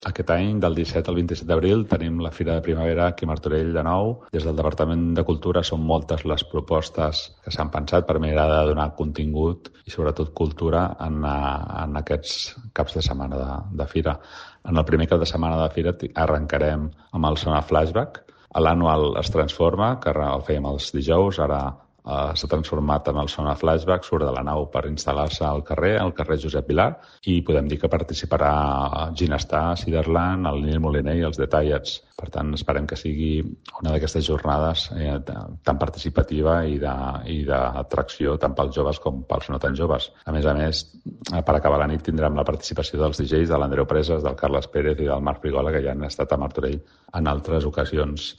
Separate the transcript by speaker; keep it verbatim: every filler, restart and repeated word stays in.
Speaker 1: Aquest any, del disset al vint-i-set d'abril, tenim la Fira de Primavera aquí a Martorell de nou. Des del Departament de Cultura són moltes les propostes que s'han pensat per mirar de donar contingut i sobretot cultura en, en aquests caps de setmana de, de Fira. En el primer cap de setmana de Fira arrencarem amb el Sona Flashback. L'anual es transforma, que el fèiem els dijous, ara Uh, s'ha transformat en el Sona Flashback, surt de la nau per instal·lar-se al carrer, al carrer Josep Vilar, i podem dir que participarà Ginestar, Ciderland, el Nil Moliner i els Detallats. Per tant, esperem que sigui una d'aquestes jornades eh, tan participativa i d'atracció tant pels joves com pels no tan joves. A més a més, per acabar la nit tindrem la participació dels D Js de l'Andreu Presas, del Carles Pérez i del Marc Frigola, que ja han estat a Martorell en altres ocasions.